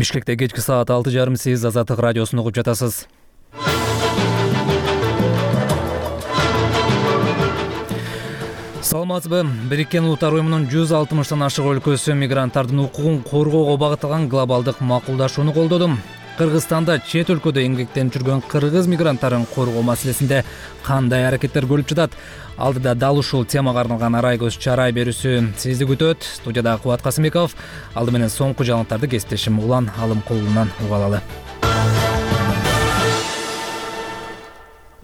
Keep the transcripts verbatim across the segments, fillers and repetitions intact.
Бишкекте кечки саат алты жарым сиз Азаттык радиосун угуп жатасыз. Саламатсызбы? Бириккен Улуттар уюмунун жүз алтымыштан ашык өлкөсү мигранттардын укугун коргоого багытталган глобалдык макулдашууну колдоду. Кыргызстанда чет өлкөдө эмгектенип жүргөн кыргыз мигранттарын коргоо маселесинде кандай аракеттер көрүлүп жатат? Алдыда дал ушул темага арналган арай көз чарай берүүсү сизди күтөт. Студияда Кубат Касымбеков. Алды менен соңку жаңылыктарды кесиптешим Улан Алымкулунан угуп алалы.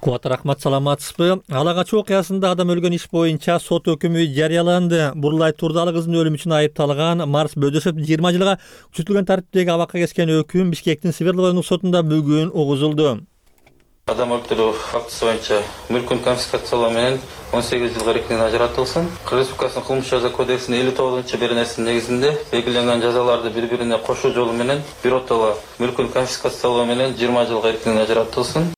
Кубат, рахмат, саламатсызбы? Ала качуу окуясында адам өлгөн иш боюнча сот өкүмү жарыяланды. Бурлай Турдалы кыздын өлүмү үчүн айыпталган Марс Бөдөшев жыйырма жылга күчөтүлгөн тартиптеги абакка кескен өкүм Бишкектин Свердлов райондук сотунда бүгүн угузулду. Адам өлтүрүү фактысы боюнча мүлкүн конфискациялоо менен он сегиз жылга эркинен ажыратылсын. Кыргыз Республикасынын кылмыш жаза кодексинин элүү тогузунчу беренесинин негизинде белгиленген жазаларды бири-бирине кошуу жолу менен биротоло мүлкүн конфискациялоо менен жыйырма жылга эркинен ажыратылсын.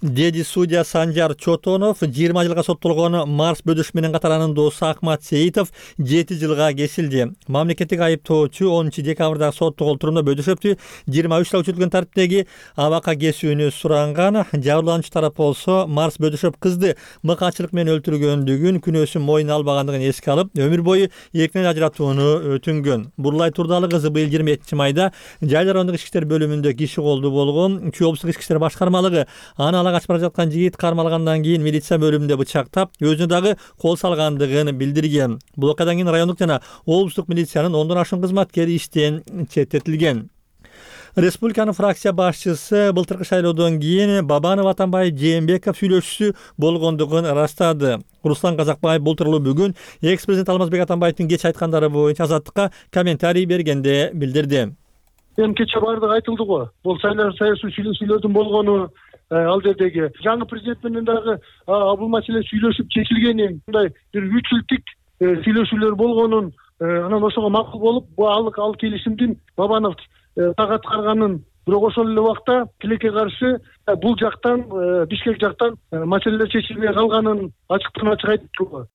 Деди судья Санжар Чотонов жыйырма жылга соттолгон Марс Бөдөш менен катар анын досу Акмат Сейитов жети жылга кесилди. Мамлекеттик айыптоочу онунчу декабрдагы соттук олтурумда Бөдөшевдү жыйырма үч жыл күчөтүлгөн тартиптеги абакка кесүүнү суранган. Жабырлануучу тарап болсо Марс Бөдөшев кызды мыкаачылык менен өлтүргөндүгүн, күнөөсүн мойнуна албагандыгын эске алып, өмүр бою эркинен ажыратууну өтүнгөн. Бурлай Турдалы кызы быйыл жыйырма экинчи майда Жайыл райондук ички иштер бөлүмүндө киши колду болгон. Чүй облустук ички иштер башкармалыгы аны ала качып бара жаткан жигит кармалгандан кийин милиция бөлүмүндө бычактап, өзүнө дагы кол салгандыгын билдирген. Бул окуядан кийин райондук жана облустук милициянын ондон ашуун кызматкери иштен четтетилген. Республиканын фракция башчысы былтыркы шайлоодон кийин Бабанов Атамбаев Жээнбеков сүйлөшүүсү болгондугун ырастады. Руслан Казакбаев бул тууралуу бүгүн экс-президент Алмазбек Атамбаевдин кеч айткандары боюнча Азаттыкка комментарий бергенде билдирди. Эми кече баардыгы айтылды го. Бул саясий сүйлөшүүлөрдүн болгону, ал жердеги жаңы президент менен дагы бул маселе сүйлөшүп чечилгенин, мындай бир үч жылдык сүйлөшүүлөр болгонун, анан ошого макул болуп, бул алык ал келишимдин Бабанов так аткарганын, бирок ошол эле убакта тилекке каршы бул жактан, Бишкек жактан маселелер чечилбей калганын ачыктан ачык айтты.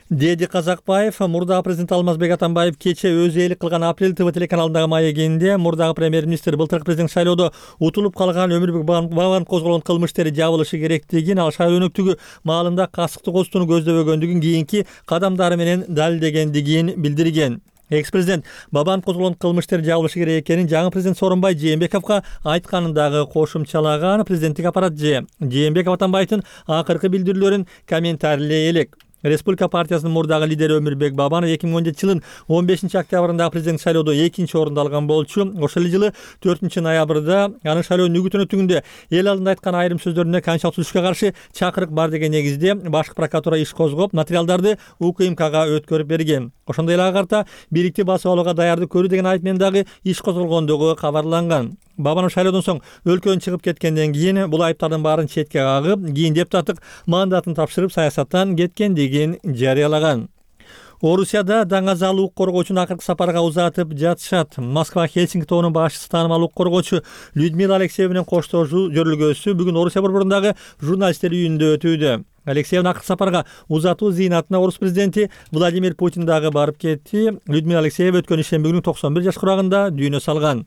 Деди Казакбаев мурдагы президент Алмазбек Атамбаев кече өзү ээлик кылган Апрель ТВ телеканалындагы маегинде мурдагы премьер-министр былтыркы президент шайлоодо утулуп калган Өмүрбек Бабановго козголгон кылмыш иштери жабылышы керектигин, ал шайлоо өнөктүгү маалында касыкты козутууну көздөбөгөндүгүн кийинки кадамдары менен далилдегендигин билдирген. Экс-президент Бабанов козголгон кылмыш иштери жабылышы керек экенин жаңы президент Сооронбай Жээнбековго айтканын дагы кошумчалаган. Президенттик аппарат же Жээнбеков Атамбаевдин акыркы билдирүүлөрүн комментарийлей элек. Республика партиясынын мурдагы лидери Өмүрбек Бабанов эки миң он жетинчи жылдын он бешинчи октябрындагы президент шайлоодо экинчи орунду алган болчу. Ошол жылы төртүнчү ноябрда анын шайлоонун үгүтүнө өтүнгөндө эл алдында айткан айрым сөздөрүнө конституциялык түзүшкө каршы чакырык бар деген негизде башкы прокуратура иш козгоп, материалдарды УКМКга өткөрүп берген. Ошондой эле ага карта бийликти басып алууга даярдык көрүү деген айып менен дагы иш козголгондугу кабарланган. Бабанов шайлоодон соң өлкөдөн чыгып кеткенден кийин бул айыптардын баарын четке кагып, кийин депутаттык мандатын тапшырып саясаттан кеткендигин жарыялаган. Орусияда даңазал укук коргоочуну акыркы сапарга узатып жатышат. Москва Хельсинки тобунун башчысы таанымал укук коргоочу Людмила Алексеева менен коштошуу жөрүлгөсү бүгүн Орусия борборундағы журналисттер үйүндө өтүүдө. Алексеевдин акыркы сапарга узатуу зыйнатына Орус президенти Владимир Путин дагы барып кетти. Людмила Алексеева өткөн ишемби күнү токсон бир жаш курагында дүйнө салган.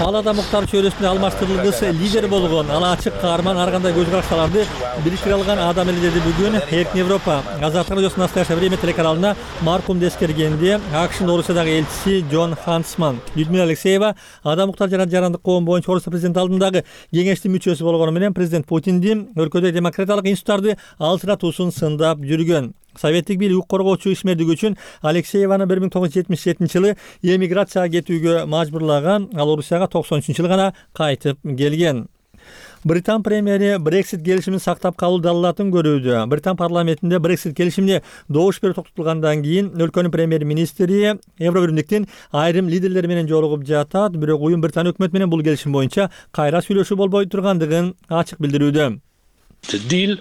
Ал ада Муктар чөйрөсүндө алмаштырылгыс лидер болгон, ал ачык каарман, ар кандай көз караштарды бириштире алган адам эле деди бүгүн Эркин Европа Азаттык радиосунун «Настоящее время» телеканалына маркумду эскергенде АКШнын Орусиядагы элчиси Джон Хансман. Людмила Алексеева Ада Муктар жана Жарандык коом боюнча Орусия президенти алдындагы кеңештин мүчөсү болгону менен президент Путиндин өлкөдө демократиялык институттарды алчыратуусун сындап жүргөн. Советтик бийлик укук коргоочу ишмердиги үчүн Алексееваны бир миң тогуз жүз жетимиш жетинчи жылы эмиграцияга кетүүгө мажбурлаган. Ал Орусияга токсон үчүнчү жылы гана кайтып келген. Британ премьери Брексит келишимин сактап калуу далилатын көрүүдө. Британ парламентинде Брексит келишимине добуш берүү токтотулгандан кийин өлкөнүн премьер-министри Евробиримдиктин айрым лидерлери менен жолугуп жатат. Бирок уюм Британ өкмөтү менен бул келишим боюнча кайра сүйлөшүү болбой тургандыгын ачык билдирүүдө. The deal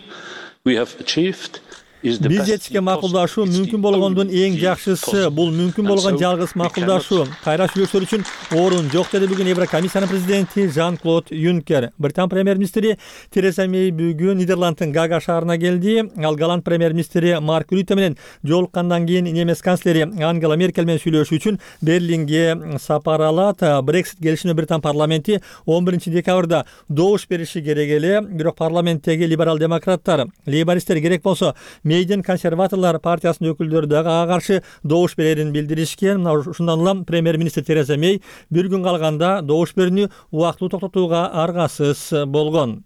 we have achieved бюджетке макулдашуу мүмкүн болгондун эң жакшысы. Бул мүмкүн болгон жалгыз макулдашуу. Кайра сүйлөшүүлөр үчүн орун жок деди бүгүн Еврокомиссиянын президенти Жан-Клод Юнкер. Британ премьер-министри Тереза Мей бүгүн Нидерландтын Гага шаарына келди. Ал Голланд премьер-министри Марк Рюте менен жолуккандан кийин немец канцлери Ангела Меркель менен сүйлөшүү үчүн Берлинге сапар алат. Брексит келишимине Британ парламенти он биринчи декабрда добуш бериши керек эле, бирок парламенттеги либерал-демократтар, лейбористтер керек болсо Мейдин консерваторлор партиясынын өкүлдөрү дагы ага каршы добуш берерин билдиришкен. Мына ушундан улам премьер-министр Тереза Мей бир күн калганда добуш берүүнү убактылуу токтотууга аргасыз болгон.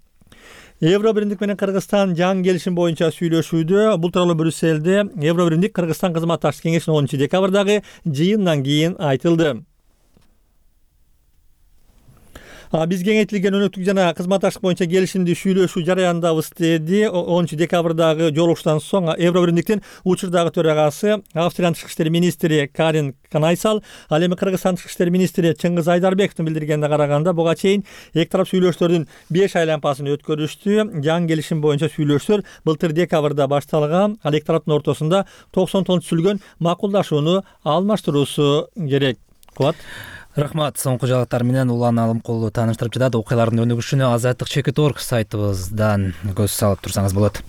Евро биримдик менен Кыргызстан жаңы келишим боюнча сүйлөшүүдө. Бул тууралуу Брюссельде Евро биримдик Кыргызстан кызматташтык кеңешинин онунчу декабрдагы жыйындан кийин айтылды. Биз кеңейтилген өнөктүк жана кызматташтык боюнча келишимди сүйлөшүү жарыяндабыз деди. онунчу декабрдагы жолугуштан соң Евро биримдиктин учурдагы төрагасы Австриянын тышкы иштер министри Карин Канайсал, ал эми Кыргызстан тышкы иштер министри Чыңгыз Айдарбековдун билдиргенине караганда буга чейин эки тарап сүйлөшүүлөрдүн беш айланпасын өткөрүштү. Жаңы келишим боюнча сүйлөшүүлөр былтыр декабрда башталган. Ал эки тараптын ортосунда токсон тонн түзүлгөн макулдашууну алмаштыруусу керек. Кубат. Рахмат. Соңку жаңылыктар менен Улан Алымкулу тааныштырып жатат. Окуялардын өнүгүшүнө азаттык чекит точка орг сайтыбыздан көз салып турсаңыз болот.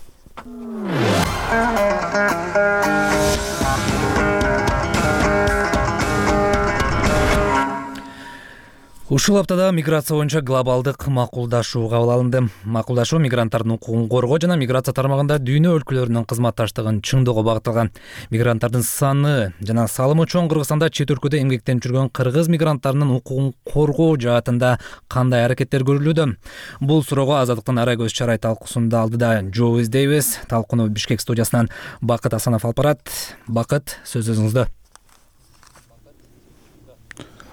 Ушул аптада миграция боюнча глобалдык макулдашуу кабыл алынды. Макулдашуу мигранттардын укугун коргоо жана миграция тармагында дүйнө өлкөлөрүнүн кызматташтыгын чыңдоого багытталган. Мигранттардын саны жана салымы чоң Кыргызстанда чет өлкөдө эмгектенип жүргөн кыргыз мигранттарынын укугун коргоо жаатында кандай аракеттер көрүлүүдө? Бул суроого Азаттыктын ара көз чарай талкуусунда алдыда Жо Издейбиз. Талкууну Бишкек студиясынан Бакыт Асанов алып барат. Бакыт, сөз өзүңүздө.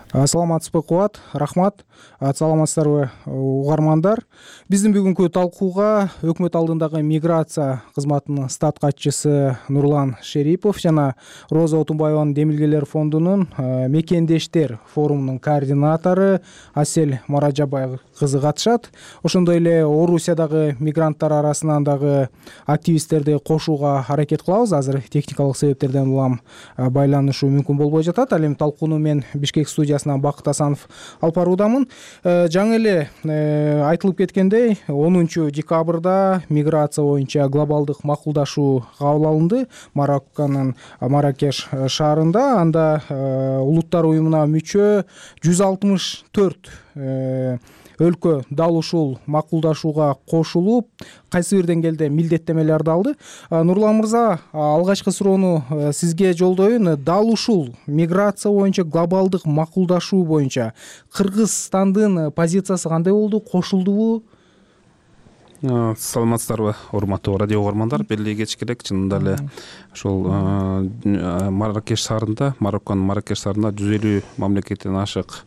Саламатсызбы, Кубат? Рахмат. Саламатсыздарбы, угармандар? Биздин бүгүнкү талкууга өкмөт алдындагы миграция кызматынын стат катчысы Нурлан Шерипов жана Роза Отунбаеванын Демилгелер фондунун мекендештер форумунун координатору Асель Маражабаева кызы катышат. Ошондой эле Орусиядагы мигранттар арасынан дагы активисттерди кошууга аракет кылабыз. Азыр техникалык себептерден улам байланышуу мүмкүн болбой жатат. Ал эми талкууну мен Бишкек студиясынан Бакыт Асанов алып баруудамын. Жаңы эле айтылып кеткендей, онунчу декабрда миграция боюнча глобалдык макулдашуу кабыл алынды Марокконун Маракеш шаарында. Анда улуттар уюмуна мүчө жүз алтымыш төрт өлкө дал ушул макулдашууга кошулуп, кайсы бир деңгээлде милдеттемелерди алды. Нурлан мырза, алгачкы суроону сизге жолдоюн. Дал ушул миграция боюнча глобалдык макулдашуу боюнча Кыргызстандын позициясы кандай болду? Кошулдубу? Саламатсыздарбы, урматтуу радио угармандар. Белгилей кетиш керек, чынында эле ошол Маракеш шаарында, Марокконун Маракеш шаарында жүз элүү мамлекеттен ашык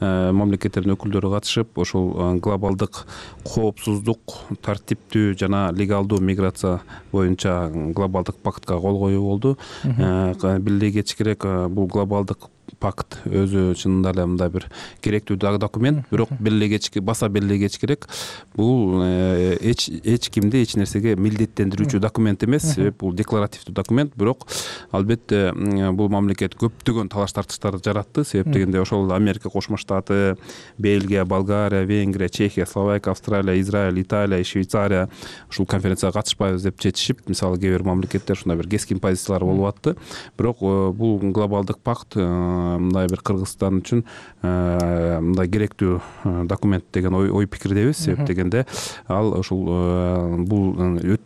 мамлекеттердин өкүлдөрү катышып, ошол глобалдык коопсуздук, тартиптүү жана легалдуу миграция боюнча глобалдык пактка кол коюу болду. Белгилей кетиш керек, бул глобалдык пакт өзү чынында эле мындай бир керектүү документ, бирок белгилей кетиш баса белгилей кетиш керек, бул эч эч кимди эч нерсеге милдеттендирүүчү документ эмес, себеп бул декларативдүү документ, бирок албетте бул мамлекет көптөгөн талаш тартыштарды жаратты, себеп дегенде ошол Америка Кошмо Штаты, Бельгия, Болгария, Венгрия, Чехия, Словакия, Австралия, Израиль, Италия, Швейцария ушул конференцияга катышпайбыз деп чечишип, мисалы кээ бир мамлекеттер ушундай бир кескин позициялар болуп атты. Бирок бул глобалдык пакт мындай бир Кыргызстан үчүн мындай керектүү документ деген ой ой пикирдебиз, себеп дегенде ал ушул бул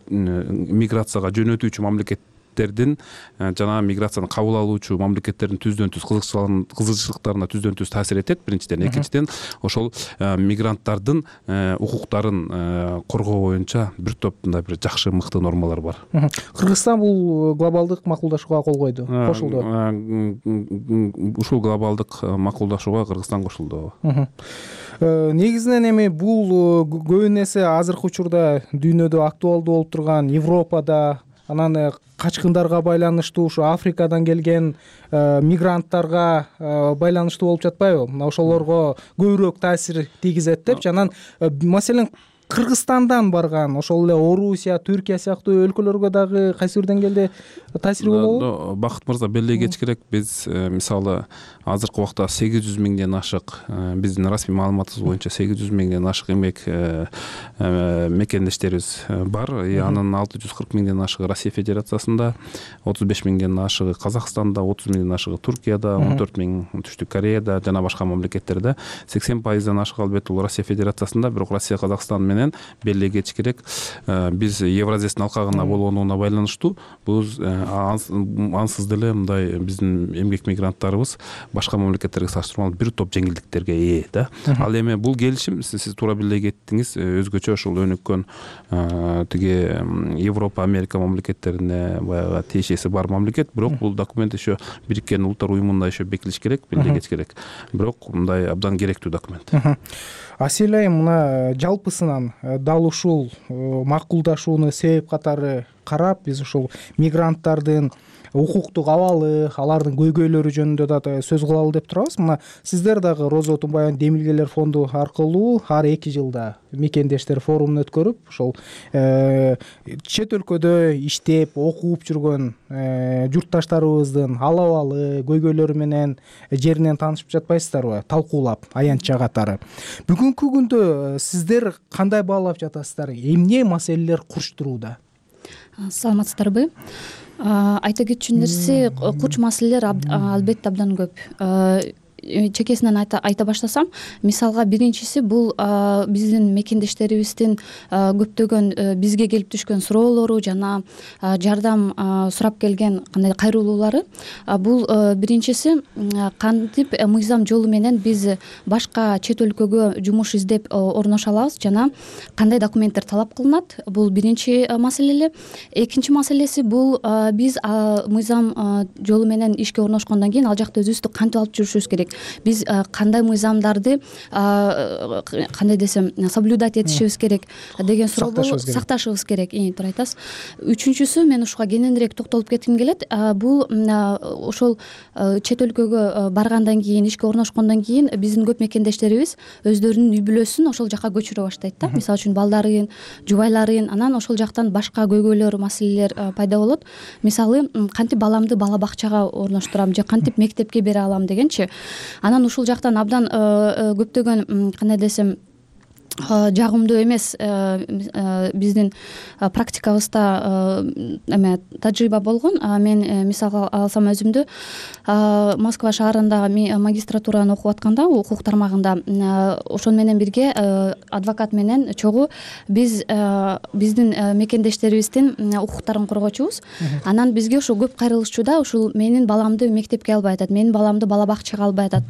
миграцияга жөнөтүүчү мамлекеттердин жана миграцияны кабыл алуучу мамлекеттердин түздөн түз кызыкчылыктарына түздөн түз таасир этет. Биринчиден, экинчиден ошол мигранттардын укуктарын коргоо боюнча бир топ мындай бир жакшы мыкты нормалар бар. Кыргызстан бул глобалдык макулдашууга кол койду, кошулду. Ушул глобалдык макулдашууга Кыргызстан кошулду. Негизинен эми бул көбүн эсе азыркы учурда дүйнөдө актуалдуу болуп турган Европада, анан качкындарга байланыштуу ушу Африкадан келген мигранттарга байланыштуу болуп жатпайбы? Мына ошолорго көбүрөөк таасир тийгизет деп. Анан маселен Кыргызстандан барган ошол эле Орусия, Түркия сыяктуу өлкөлөргө дагы кайсы бир деңгээлде таасири болобу? Бакыт мырза, белгилей кетиш биз мисалы азыркы убакта сегиз жүз миңден ашык, биздин расмий маалыматыбыз боюнча сегиз жүз миңден ашык эмгек мекендештерибиз бар. Анын алты жүз кырк миңден ашыгы Россия Федерациясында, отуз беш миңден ашыгы Казакстанда, отуз миңден ашыгы Туркияда, он төрт миң Түштүк Кореяда жана башка мамлекеттерде. сексен пайыздан ашык албетте бул Россия Федерациясында, бирок Россия Казакстан менен белгилей кетиш керек, биз Евразиянын алкагына болгонуна байланыштуу бул ансыз деле мындай биздин эмгек мигранттарыбыз башка мамлекеттерге салыштырмалуу бир топ жеңилдиктерге ээ да. Ал эми бул келишим сиз туура белгилей кеттиңиз, өзгөчө ушул өнүккөн тиги Европа, Америка мамлекеттерине баягы тиешеси бар мамлекет, бирок бул документ еще Бириккен Улуттар уюмунда еще бекитилиш керек, белгилей кетиш керек. Бирок мындай абдан керектүү документ. Асель айым, мына жалпысынан дал ушул макулдашууну себеп катары карап, биз ушул мигранттардын укуктук абалы, алардын көйгөйлөрү жөнүндө да сөз кылалы деп турабыз. Мына сиздер дагы Роза Тумбаеванын Демилгелер фонду аркылуу ар эки жылда мекендештер форумун өткөрүп, ошол чет өлкөдө иштеп, окуп жүргөн журтташтарыбыздын ал абалы, көйгөйлөрү менен жеринен таанышып жатпайсыздарбы? Талкуулап, аянтча катары. Бүгүнкү күндө сиздер кандай баалап жатасыздар? Эмне маселелер курчтурууда? Саламатсыздарбы? Айта кетчү нерсе, курч маселелер албетте абдан көп. Чекесинен айта, айта баштасам, мисалга биринчиси бул биздин мекендештерибиздин көптөгөн бизге келип түшкөн суроолору жана жардам сурап келген кандай кайрылуулары. Бул биринчиси, кантип мыйзам жолу менен биз башка чет өлкөгө жумуш издеп орношо алабыз жана кандай документтер талап кылынат. Бул биринчи маселе. Экинчи маселеси бул биз мыйзам жолу менен ишке орношкондон кийин ал жакта өзүбүздү кантип алып жүрүшүбүз керек. Биз кандай мыйзамдарды кандай десем соблюдать этишибиз керек деген суроо болуп, сакташыбыз керек. Туура айтасыз. Үчүнчүсү, мен ушуга кененирээк токтолуп кетким келет. Бул ошол чет өлкөгө баргандан кийин, ишке орношкондон кийин биздин көп мекендештерибиз өздөрүнүн үй бүлөсүн ошол жака көчүрө баштайт да. Мисалы үчүн балдарын, жубайларын, анан ошол жактан башка көйгөйлөр, маселелер пайда болот. Мисалы, кантип баламды бала бакчага орноштурам же кантип мектепке бере алам дегенчи. Анан ушул жактан абдан көптөгөн кандай десем жагымдуу эмес биздин практикабызда эме тажрыйба болгон. Мен мисалга алсам өзүмдү, Москва шаарында магистратураны окуп атканда, укук тармагында, ошон менен бирге адвокат менен чогуу биз биздин мекендештерибиздин укуктарын коргочубуз. Анан бизге ошо көп кайрылышчу да, ушул менин баламды мектепке албай атат, менин баламды бала бакчага албай атат.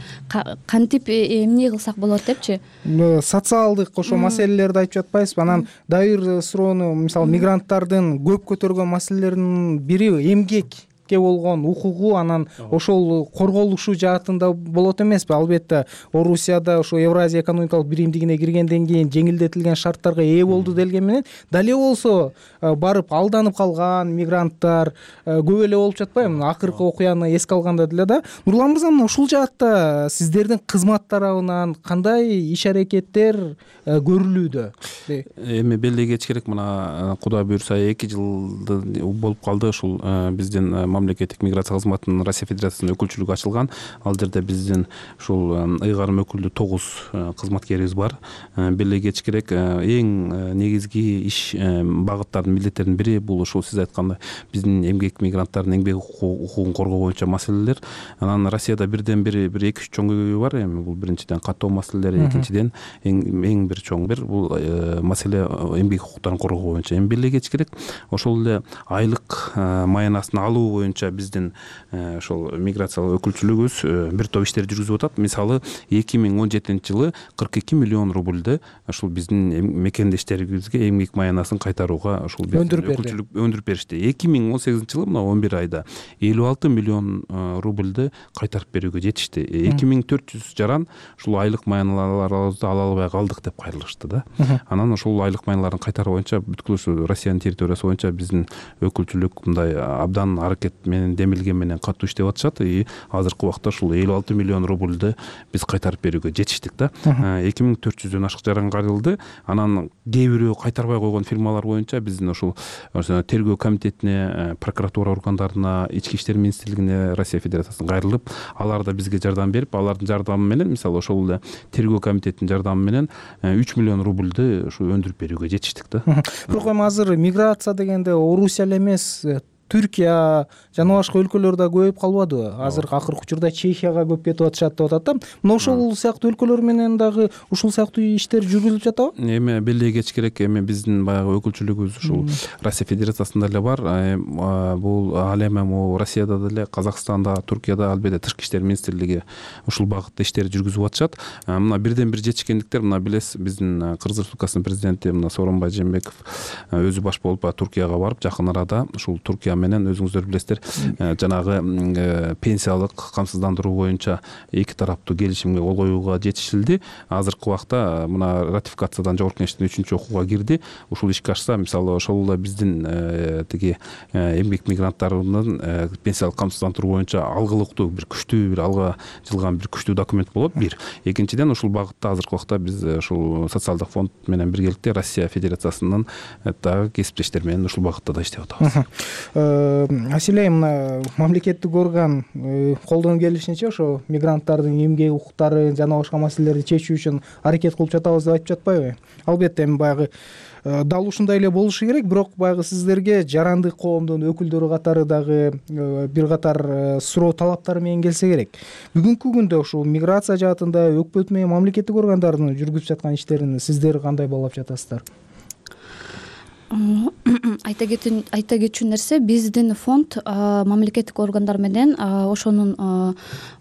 Кантип эмне кылсак болот депчи. Социалдык ошо маселелерди айтып жатпайсызбы? Анан дайыр суроону, мисалы, мигранттардын көп көтөргөн маселелеринин бири эмгекке болгон укугу, анан ошол корголушу жаатында болот эмеспи? Албетте Орусияда ошо Евразия экономикалык биримдигине киргенден кийин жеңилдетилген шарттарга ээ болду делген менен, дале болсо барып алданып калган мигранттар көп эле болуп жатпайбы? Акыркы окуяны эске алганда деле да. Нурлан мырза, мына ушул жаатта сиздердин кызмат тарабынан кандай иш аракеттер көрүлүүдө? Эми белгилей кетиш керек, мына Кудай буйрса эки жылды болуп калды ушул биздин мамлекеттик миграция кызматынын Россия Федерациясынын өкүлчүлүгү ачылган. Ал жерде биздин ушул ыйгарым өкүлдүү тогуз кызматкерибиз бар. Белгилей кетиш керек, эң негизги иш багыттардын, милдеттердин бири бул ушул сиз айткандай биздин эмгек мигранттардын эмгек укугун коргоо боюнча маселелер. Анан Россияда бирден бир бир эки үч чоң көйгөй бар. Эми бул биринчиден каттоо маселелери, экинчиден эң эң бир чоң бир бул маселе эмгек укуктарын коргоо боюнча. Эми белгилей кетиш керек, ошол эле айлык маянасын алуу боюнча биздин ошол миграциялык өкүлчүлүгүбүз бир топ иштер жүргүзүп атат. Мисалы, эки миң он жетинчи жылы кырк эки миллион рубльды ушул биздин мекендештерибизге эмгек маянасын кайтарууга ушул өкүлчүлүк өндүрүп беришти. эки миң он сегизинчи жылы мына он бир айда элүү алты миллион рубльды кайтарып берүүгө жетишти. эки миң төрт жүз жаран ушул айлык маяналарыбызды ала албай калдык деп кайрылышты да. Анан ошол айлык маяналарын кайтаруу боюнча бүткүл ушу Россиянын территориясы боюнча биздин өкүлчүлүк мындай абдан аракет менен демилген менен катуу иштеп атышат и азыркы убакта ушул элүү алты миллион рубльды биз кайтарып берүүгө жетиштик да. эки миң төрт жүздөн ашык жаран каралды. Анан кээ бирөө кайтарбай койгон фирмалар боюнча биздин ушул тергөө комитетине, прокуратура органдарына, ички иштер министрлигине Россия Федерациясына кайрылып, алар да бизге жардам берип, алардын жардамы менен, мисалы ошол эле тергөө комитетинин жардамы менен үч миллион рубльды ушу өндүрүп берүүгө жетиштик да. Бирок эми азыр миграция дегенде Орусия эле эмес, Түркия жана башка өлкөлөр да көбөйүп калбадыбы? Азыр акыркы учурда Чехияга көп кетип атышат деп атат да. Мына ошол сыяктуу өлкөлөр менен дагы ушул сыяктуу иштер жүргүзүлүп жатабы? Эми белек кетиш керек. Эми биздин баягы өкүлчүлүгүбүз ушул Россия Федерациясында эле бар. Бул ал эми могу Россияда деле, Казакстанда, Туркияда албетте тышкы иштер министрлиги ушул багытта иштер жүргүзүп атышат. Мына бирден бир жетишкендиктер, мына билесиз, биздин Кыргыз Республикасынын президенти мына Сооронбай Жээнбеков өзү баш болуп Туркияга барып, жакын арада ушул Туркия менен өзүңүздөр билесиздер, жанагы пенсиялык камсыздандыруу боюнча эки тараптуу келишимге кол коюуга жетишилди. Азыркы убакта мына ратификациядан жогорку кеңештин үчүнчү окууга кирди. Ушул ишке ашса, мисалы ошол эле биздин тиги эмгек мигранттарынын пенсиялык камсыздандыруу боюнча алгылыктуу бир күчтүү бир алга жылган бир күчтүү документ болот. Бир. Экинчиден, ушул багытта азыркы убакта биз ушул социалдык фонд менен биргеликте Россия Федерациясынын дагы кесиптештери менен ушул багытта да иштеп атабыз. Маселе мына мамлекеттик орган колдон келишинче ошо мигранттардын эмгек укуктары жана башка маселелерди чечүү үчүн аракет кылып жатабыз деп айтып жатпайбы? Албетте эми баягы дал ушундай эле болушу керек, бирок баягы сиздерге жарандык коомдун өкүлдөрү катары дагы бир катар суроо талаптар менен келсе керек. Бүгүнкү күндө ушул миграция жаатында өкмөт менен мамлекеттик органдардын жүргүзүп жаткан иштерин сиздер кандай баалап жатасыздар? Айта кетчү нерсе, биздин фонд мамлекеттик органдар менен ошонун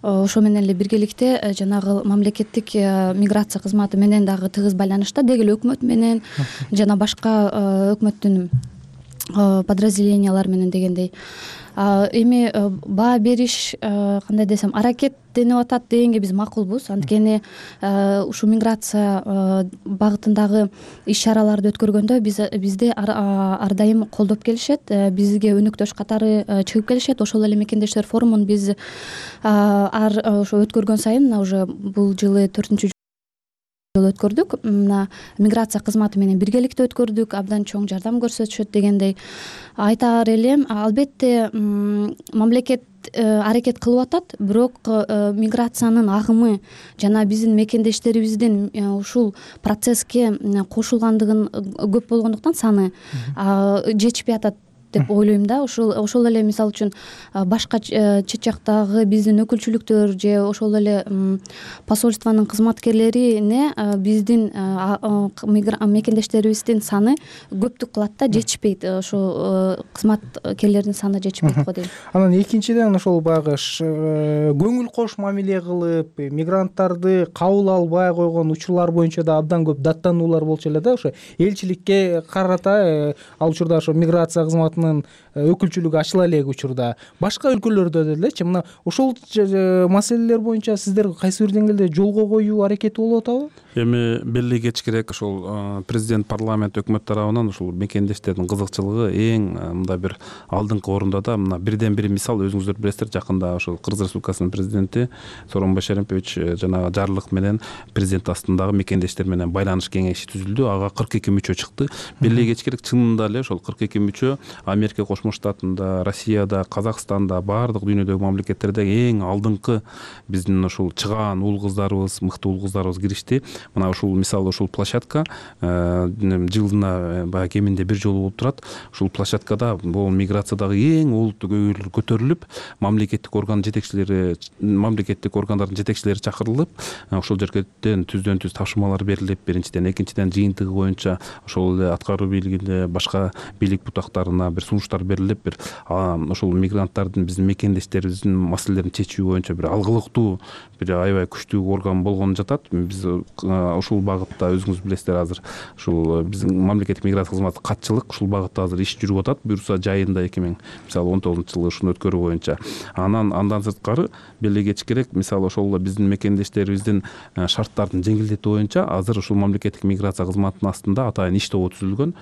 ошо менен эле биргеликте жанагы мамлекеттик миграция кызматы менен дагы тыгыз байланышта, деги эле өкмөт менен жана башка өкмөттүн подразделениялары менен дегендей. Эми баа бериш, кандай десем, аракеттенип атат дегенге биз макулбуз. Анткени ушу миграция багытындагы иш-чараларды өткөргөндө биз бизди ар дайым колдоп келишет, бизге өнөктөш катары чыгып келишет. Ошол эле мекендештер форумун биз ар ошо өткөргөн сайын, мына уже бул жылы төртүнчү жолу өткөрдүк. Мына миграция кызматы менен биргеликте өткөрдүк, абдан чоң жардам көрсөтүшөт дегендей. Айтаар элем, албетте мамлекет аракет кылып атат, бирок миграциянын агымы жана биздин мекендештерибиздин ушул процесске кошулгандыгын көп болгондуктан саны жетишпей атат деп ойлойм да. Ошол ошол эле мисалы үчүн башка чет жактагы биздин өкүлчүлүктөр же ошол эле посольствонун кызматкерлерине биздин мекендештерибиздин саны көптүк кылат да, жетишпейт. Ошо кызматкерлердин саны жетишпейт го дейм. Анан экинчиден ошол баягы көңүл кош мамиле кылып, мигранттарды кабыл албай койгон учурлар боюнча да абдан көп даттануулар болчу эле да. Ошо элчиликке карата ал учурда ошо миграция кызматынын өкүлчүлүгү ачыла элек учурда башка өлкөлөрдө делечи, мына ошол маселелер боюнча сиздер кайсы бир деңгээлде жолго коюу аракети болуп атабы? Эми белги кетиш керек, ошол президент, парламент, өкмөт тарабынан ушул мекендештердин кызыкчылыгы эң мындай бир алдыңкы орунда да. Мына бирден бир мисал, өзүңүздөр билесиздер, жакында ошол Кыргыз Республикасынын президенти Сооронбай Шаримпович жана жарлык менен президент астындагы мекендештер менен байланыш кеңеши түзүлдү. Ага кырк эки мүчө чыкты. Белги кетиш керек, чынында эле ошол кырк эки мүчө Америка Кошмо Штатында, Россияда, Казакстанда, баардык дүйнөдөгү мамлекеттерде эң алдыңкы биздин ушул чыгаан уул кыздарыбыз, мыкты уул кыздарыбыз киришти. Мына ушул мисалы ушул площадка жылына баягы кеминде бир жолу болуп турат. Ушул площадкада бул миграциядагы эң олуттуу көйгөйлөр көтөрүлүп, мамлекеттик орган жетекчилери, мамлекеттик органдардын жетекчилери чакырылып, ошол жерден түздөн түз тапшырмалар берилип, биринчиден, экинчиден жыйынтыгы боюнча ошол эле аткаруу бийлигине, башка бийлик бутактарына бир сунуштар берилип, бир ошол мигранттардын, биздин мекендештерибиздин маселелерин чечүү боюнча бир алгылыктуу, бир аябай күчтүү орган болгону жатат. Биз ушул багытта, өзүңүз билесиздер, азыр ушул биздин мамлекеттик миграция кызматы катчылык ушул багытта азыр иш жүрүп атат. Буюрса жайында эки миң мисалы он тогузунчу жылы ушуну өткөрүү боюнча. Анан андан сырткары белги кетиш керек, мисалы ошол биздин мекендештерибиздин шарттардын жеңилдетүү боюнча азыр ушул мамлекеттик миграция кызматынын астында атайын иш тобу түзүлгөн.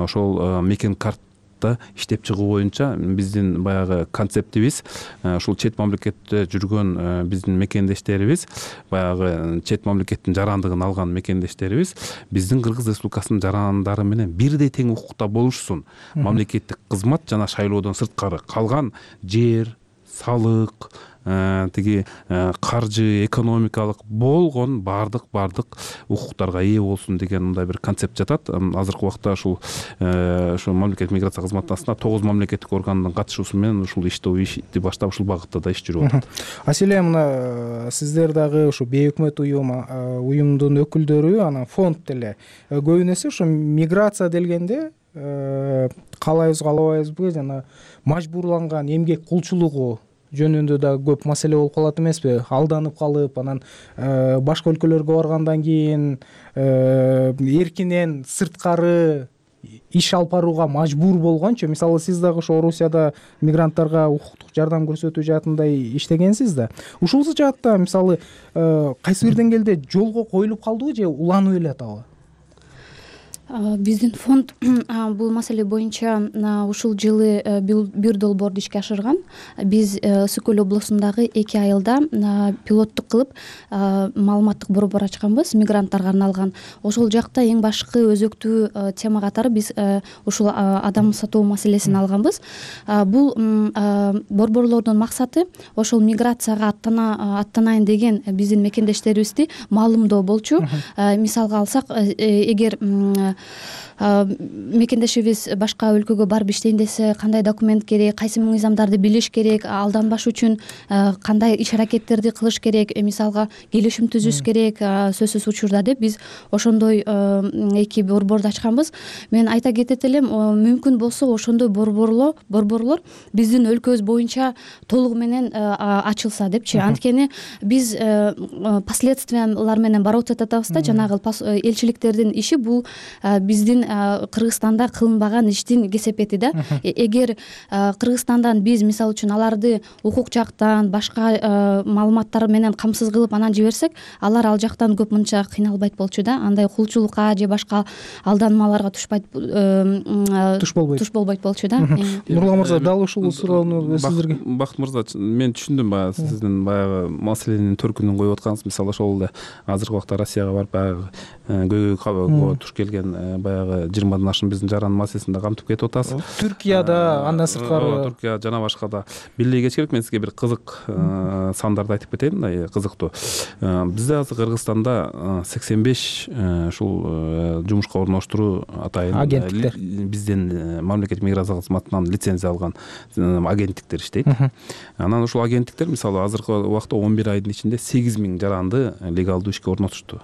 Ошол мекен карт багытта иштеп чыгуу боюнча биздин баягы концептибиз ушул чет мамлекетте жүргөн биздин мекендештерибиз, баягы чет мамлекеттин жарандыгын алган мекендештерибиз биздин Кыргыз Республикасынын жарандары менен бирдей тең укукта болушсун. Мамлекеттик кызмат жана шайлоодон сырткары калган жер, салык, тиги каржы, экономикалык болгон бардык бардык укуктарга ээ болсун деген мындай бир концепт жатат. Азыркы убакта ушул ошо мамлекеттик миграция кызматына тогуз мамлекеттик органдын катышуусу менен ушул иштөө ишти баштап ушул багытта да иш жүрүп атат. Аселе, мына сиздер дагы ушу бейөкмөт уюм уюмдун өкүлдөрү, анан фонд деле көбүнесе ушу миграция делгенде каалайбыз каалабайбызбы жана мажбурланган эмгек кулчулугу жөнүндө да көп маселе болуп калат эмеспи? Алданып калып, анан башка өлкөлөргө баргандан кийин эркинен сырткары иш алып барууга мажбур болгончу. Мисалы, сиз дагы ошо Орусияда мигранттарга укуктук жардам көрсөтүү жаатындай иштегенсиз да. Ушул жаатта мисалы кайсы бир деңгээлде жолго коюлуп калдыбы же уланып эле атабы? Биздин фонд бул маселе боюнча ушул жылы бир долбоорду ишке ашырган. Биз Ысык Көл облусундагы эки айылда пилоттук кылып маалыматтык борбор ачканбыз, мигранттарга арналган. Ошол жакта эң башкы өзөктүү тема катары биз ушул адам сатуу маселесин алганбыз. Бул борборлордун максаты ошол миграцияга аттана аттанайын деген биздин мекендештерибизди маалымдоо болчу. Мисалга алсак, эгер мекендешибиз башка өлкөгө барып иштейин десе, кандай документ керек, кайсы мыйзамдарды билиш керек, алданбаш үчүн кандай иш аракеттерди кылыш керек, мисалга келишим түзүш керек, сөзсүз учурда деп биз ошондой эки борборду ачканбыз. Мен айта кетет элем, мүмкүн болсо ошондой борборлор борборлор биздин өлкөбүз боюнча толугу менен ачылса депчи. Анткени биз последствиялар менен барып атабыз да, жанагы элчиликтердин иши бул биздин Кыргызстанда кылынбаган иштин кесепети да. Эгер Кыргызстандан биз мисалы үчүн аларды укук жактан башка маалыматтар менен камсыз кылып анан жиберсек, алар ал жактан көп мынча кыйналбайт болчу да. Андай кулчулукка же башка алданмаларга тушпайт туш болбойт туш болбойт болчу да. Нурлан мырза, дал ушул суроону сиздерге. Бакыт мырза, мен түшүндүм баягы сиздин баягы маселенин төркүнүн коюп атканыңыз. Мисалы, ошол эле азыркы убакта Россияга барып баягы көйгөй туш келген баягы жыйырмадан ашын биздин жарандын маселесин да камтып кетип атасыз. Түркияда, андан сырткары Түркия жана башка да бирдей кеч керек. Мен сизге бир кызык сандарды айтып кетейин, мындай кызыктуу. Бизде азыр Кыргызстанда сексен беш ушул жумушка орноштуруу атайын агенттиктер, биздин мамлекеттик миграция кызматынан лицензия алган агенттиктер иштейт. Анан ушул агенттиктер мисалы азыркы убакта он бир айдын ичинде сегиз миң жаранды легалдуу ишке орнотушту.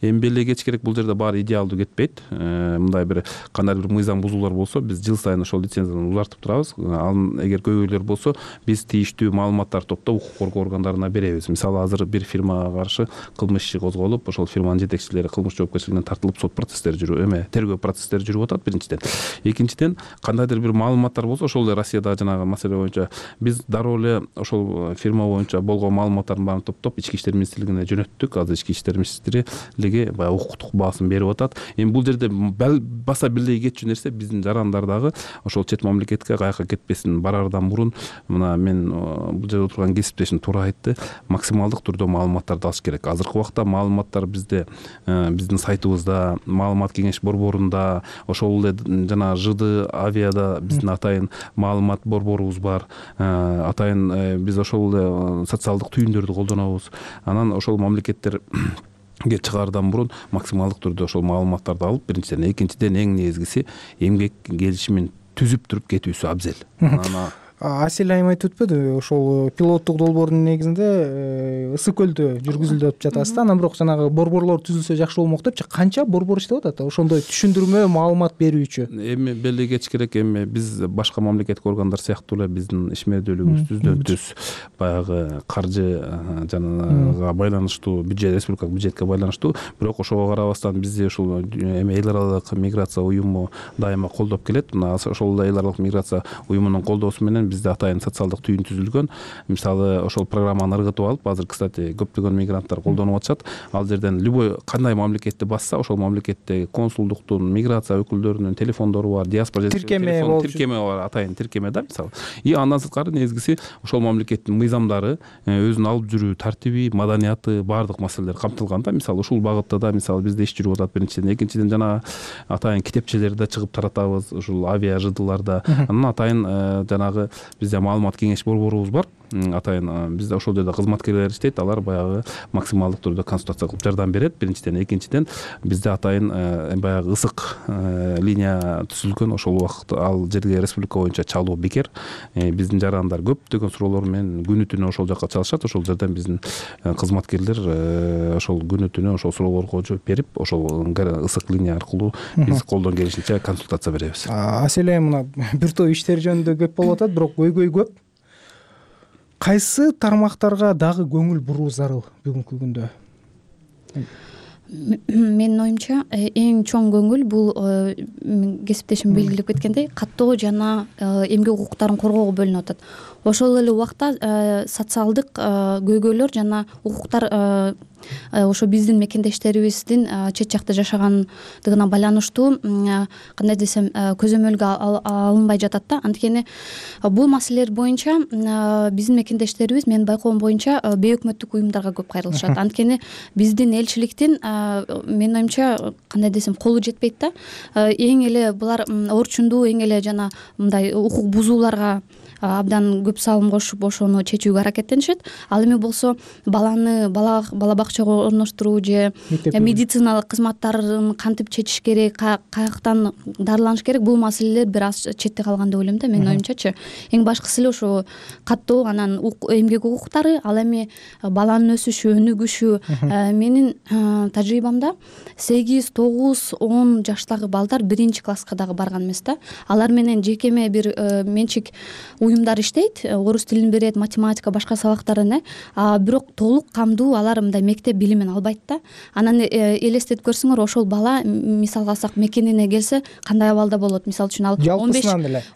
Эми беле кеч керек, бул жерде баары идеалдуу кетпейт. Мындай бир кандайдыр бир мыйзам бузуулар болсо, биз жыл сайын ошол лицензияны узартып турабыз. Ал эгер көйгөйлөр болсо, биз тийиштүү маалыматтарды топтоп укук коргоо органдарына беребиз. Мисалы, азыр бир фирмага каршы кылмыш иши козголуп, ошол фирманын жетекчилери кылмыш жоопкерчилигинен тартылып, сот процесстери жүрүп, эме тергөө процесстери жүрүп атат биринчиден. Экинчиден, кандайдыр бир маалыматтар болсо, ошол эле Россияда жанагы маселе боюнча биз дароо эле ошол фирма боюнча болгон маалыматтардын баарын топтоп ички иштер министрлигине жөнөттүк. Азыр ички иштер министри лиги баягы укуктук баасын берип атат. Эми бул жерде баса бирдей кетчү нерсе, биздин жарандар дагы ошол чет мамлекетке каяка кетпесин барардан мурун, мына мен бул жерде отурган кесиптешим туура айтты, максималдык түрдө маалыматтарды алыш керек. Азыркы убакта маалыматтар бизде биздин сайтыбызда, маалымат кеңеш борборунда, ошол эле жана ЖД авиада биздин атайын маалымат борборубуз бар. Атайын биз ошол эле социалдык түйүндөрдү колдонобуз. Анан ошол мамлекеттер чыгаардан мурун максималдык түрдө ошол маалыматтарды алып, биринчиден, экинчиден эң негизгиси эмгек келишимин түзүп туруп кетүүсү абзел. Анан Асель айым айтып өтпөдү, ошол пилоттук долбоордун негизинде Ысык Көлдө жүргүзүлүп жатасыз да. Анан бирок жанагы борборлор түзүлсө жакшы болмок депчи. Канча борбор иштеп атат ошондой түшүндүрмө маалымат берүүчү? Эми беле кеч керек, эми биз башка мамлекеттик органдар сыяктуу эле биздин ишмердүүлүгүбүз түздөн түз баягы каржы жанага байланыштуу, бюджет, республикалык бюджетке байланыштуу. Бирок ошого карабастан бизди ушул эми эл аралык миграция уюму дайыма колдоп келет. Мына ошол эл аралык миграция уюмунун колдоосу менен менен бизде атайын социалдык түйүн түзүлгөн. Мисалы ошол программаны ыргытып алып, азыр, кстати, көптөгөн мигранттар колдонуп атышат. Ал жерден любой кандай мамлекетти басса, ошол мамлекетте консулдуктун, миграция өкүлдөрүнүн телефондору бар, диаспора тиркеме тиркеме бар, атайын тиркеме да, мисалы. И андан сырткары негизгиси ошол мамлекеттин мыйзамдары, өзүнүн алып жүрүү тартиби, маданияты, баардык маселелер камтылган да. Мисалы ушул багытта да мисалы бизде иш жүрүп атат биринчиден. Экинчиден жана атайын китепчелерди да чыгып таратабыз, ушул авиа жыдыларда. Анан атайын жанагы бизде маалымат кеңеш борборубуз бар. Атайын бизде ошол жерде кызматкерлер иштейт, алар баягы максималдык түрдө консультация кылып жардам берет биринчиден. Экинчиден бизде атайын баягы ысык линия түзүлгөн, ошол убакыт ал жерге республика боюнча чалуу бекер. Биздин жарандар көптөгөн суроолор менен күнү түнү ошол жака чалышат. Ошол жерден биздин кызматкерлер ошол күнү түнү ошол суроолорго жооп берип, ошол ысык линия аркылуу биз колдон келишинче консультация беребиз. Аселе мына бир топ иштер жөнүндө көп болуп атат, бирок көйгөй көп. Кайсы тармактарга дагы көңүл буруу зарыл бүгүнкү күндө? Менин оюмча эң чоң көңүл бул кесиптешим белгилеп кеткендей каттоо жана эмгек укуктарын коргоого бөлүнүп атат. Ошол эле убакта социалдык көйгөйлөр жана укуктар ошо биздин мекендештерибиздин чет жакта жашагандыгына байланыштуу, кандай десем, көзөмөлгө алынбай жатат да. Анткени бул маселелер боюнча биздин мекендештерибиз, менин байкоом боюнча, бейөкмөттүк уюмдарга көп кайрылышат. Анткени биздин элчиликтин, менин оюмча, кандай десем, колу жетпейт да. Эң эле булар орчундуу, эң эле жана мындай укук бузууларга абдан көп салым кошуп ошону чечүүгө аракеттенишет. Ал эми болсо баланы бала бала бакчага орноштуруу же медициналык кызматтарын кантип чечиш керек, каяктан дарыланыш керек, бул маселелер бир аз четте калган деп ойлойм да, менин оюмчачы. Эң башкысы эле ошо каттоо, анан эмгек укуктары, ал эми баланын өсүшү, өнүгүшү. Менин тажрыйбамда сегиз, тогуз, он жаштагы балдар биринчи класска дагы барган эмес да. Алар менен жекеме бир менчик уюмдар иштейт, орус тилин берет, математика, башка сабактарын, а бирок толук камдуу алар мындай мектеп билимин албайт да. Анан элестетип көрсөңөр, ошол бала, мисалга алсак, мекенине келсе кандай абалда болот? Мисалы үчүн ал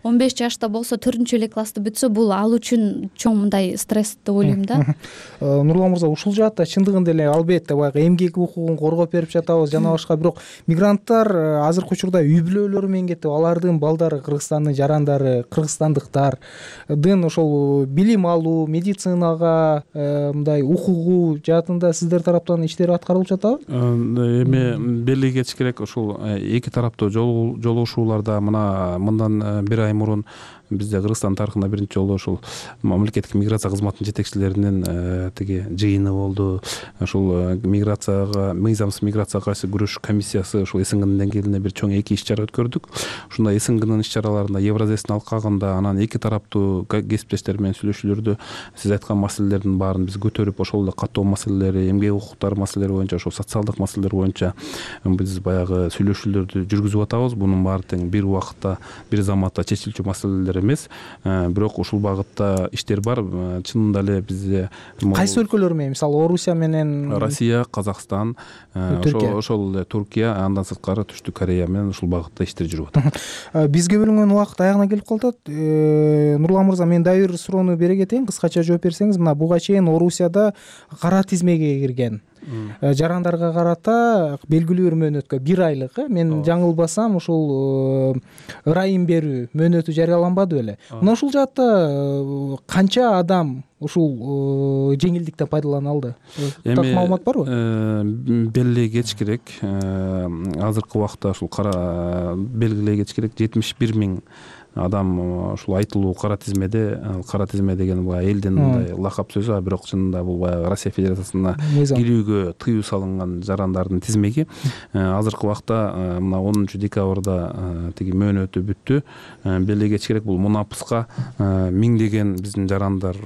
он беш жашта болсо, төртүнчү эле классты бүтсө, бул ал үчүн чоң мындай стресс деп ойлойм да. Нурлан мырза, ушул жаатта чындыгында эле албетте баягы эмгек укугун коргоп берип жатабыз жана башка, бирок мигранттар азыркы учурда үй бүлөлөрү менен кетип, алардын балдары, Кыргызстандын жарандары, кыргызстандыктар дын ошол билим алуу, медицинага мындай укугуу жаатында сиздер тараптан иштер аткарылып жатабы? Эми белги кетиш керек, ошол эки тараптуу жолугушууларда мына мындан бир ай мурун бизде Кыргызстан тарыхында биринчи жолу ошол мамлекеттик миграция кызматынын жетекчилеринин тиги жыйыны болду. Ошол миграцияга, мыйзамсыз миграцияга каршы күрөш комиссиясы ошол СНГнын деңгээлинде бир чоң эки иш чара өткөрдүк. Ушундай СНГнын иш чараларында Евразэстин алкагында, анан эки тараптуу кесиптештер менен сүйлөшүүлөрдө сиз айткан маселелердин баарын биз көтөрүп, ошол эле каттоо маселелери, эмгек укуктары маселелери боюнча, ошол социалдык маселелер боюнча биз баягы сүйлөшүүлөрдү жүргүзүп атабыз. Бунун баары тең бир убакытта, бир заматта чечилчү маселелер эмес, бирок ушул багытта иштер бар. Чынында эле бизде кайсы өлкөлөр менен, мисалы Орусия менен, Россия, Казакстан, ошол эле Туркия, андан сырткары Түштүк Корея менен ушул багытта иштер жүрүп атат. Бизге бөлүнгөн убакыт аягына келип калат. Нурлан мырза, мен дагы бир суроону бере кетейин, кыскача жооп берсеңиз. Мына буга чейин Орусияда кара тизмеге кирген жарандарга карата белгилүү бир мөөнөткө, бир айлык, мен жаңылбасам, ушул ырайым берүү мөөнөтү жарыяланбады беле? Мына ушул жаатта канча адам ушул жеңилдиктен пайдалана алды? Так маалымат барбы? Белгилей кетиш керек. Азыркы убакта ушул кара белгилей кетиш керек, жетимиш бир миң адам ушул айтылуу кара тизмеде. Кара тизме деген баягы элдин мындай лакап сөзү, а бирок чынында бул баягы Россия Федерациясына кирүүгө тыюу салынган жарандардын тизмеги. Азыркы убакта мына онунчу декабрда тиги мөөнөтү бүттү. Белгилей кетиш керек, бул мунапыска миңдеген биздин жарандар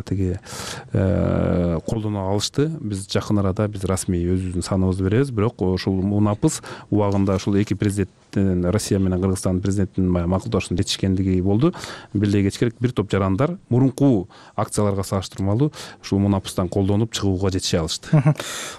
тиги колдоно алышты. Биз жакын арада биз расмий өзүбүздүн саныбызды беребиз. Бирок ушул мунапыс убагында ушул эки президенттин, Россия менен Кыргызстан президентинин макулдашууну жетишкендиги болду. Беле кечкерээк бир топ жарандар мурунку акцияларга салыштырмалуу ушул мунапыстан колдонуп чыгууга жетише алышты.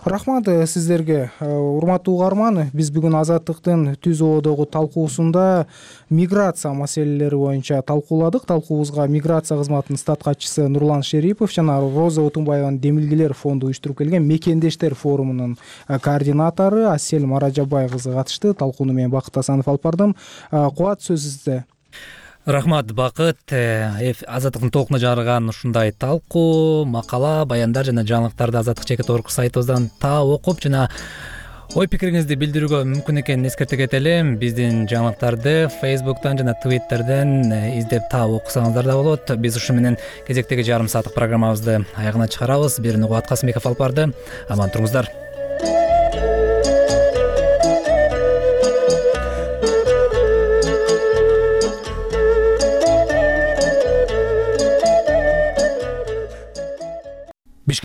Рахмат сиздерге. Урматтуу угарман, биз бүгүн Азаттыктын түз ободогу талкуусунда миграция маселелери боюнча талкууладык. Талкуубузга миграция кызматынын стат катчысы Нурлан Шерипов жана Роза Отунбаеванын Демилгелер фонду уюштуруп келген Мекендештер форумунун координатору Асель Маражабай кызы катышты. Талкууну мен Бакыт Асанов алып бардым. Кубат, сөз сизде. Рахмат, Бакыт. Азаттыктын толкуна жарыган ушундай талкуу, макала, баяндар жана жаңылыктарды Азаттык чекит орг сайтыбыздан таап окуп жана ой пикириңизди билдирүүгө мүмкүн экенин эскерте кетели. Биздин жаңылыктарды Facebook'тан жана Twitter'ден издеп таап окусаңыздар да болот. Биз ушу менен кезектеги жарым сааттык программабызды аягына чыгарабыз. Бирини Кубат Касымбеков алып барды. Аман туруңуздар.